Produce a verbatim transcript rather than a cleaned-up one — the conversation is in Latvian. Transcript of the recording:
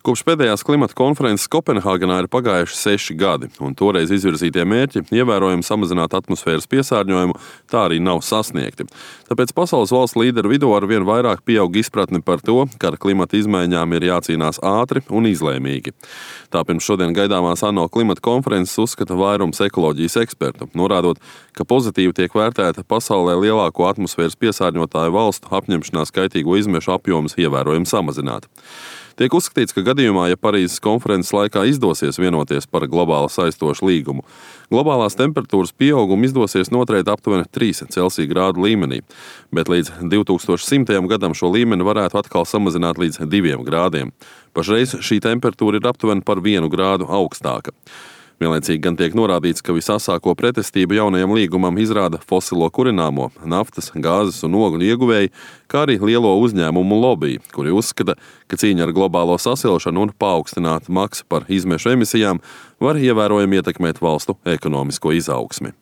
Kopš pēdējās klimata konferences Kopenhāgenā ir pagājuši seši gadi, un toreiz izvirzītie mērķi ievērojami samazināt atmosfēras piesārņojumu tā arī nav sasniegti. Tāpēc pasaules valstu līderu vidū arvien vairāk pieaug izpratne par to, ka ar klimata izmaiņām ir jācīnās ātri un izlēmīgi. Tā pirms šodien gaidāmās ANO klimata konferences uzskata vairums ekoloģijas ekspertu, norādot, ka pozitīvi tiek vērtēta pasaulē lielāko atmosfēras piesārņotāju valstu apņemšanās kaitīgo izmešu apjomus ievērojami samazināt. Tiek uzskatīts, ka gadījumā, ja Parīzes konferences laikā izdosies vienoties par globāli saistošu līgumu, globālās temperatūras pieaugumu izdosies noturēt aptuveni trīs Celsija grādu līmenī, bet līdz divtūkstoš simtajam gadam šo līmeni varētu atkal samazināt līdz diviem grādiem. Pašreiz šī temperatūra ir aptuveni par vienu grādu augstāka. Vienlaicīgi gan tiek norādīts, ka visasāko pretestību jaunajam līgumam izrāda fosilo kurināmo, naftas, gāzes un ogļu ieguvēji, kā arī lielo uzņēmumu lobby, kuri uzskata, ka cīņa ar globālo sasilšanu un paaugstināta maksa par izmešu emisijām var ievērojami ietekmēt valstu ekonomisko izaugsmi.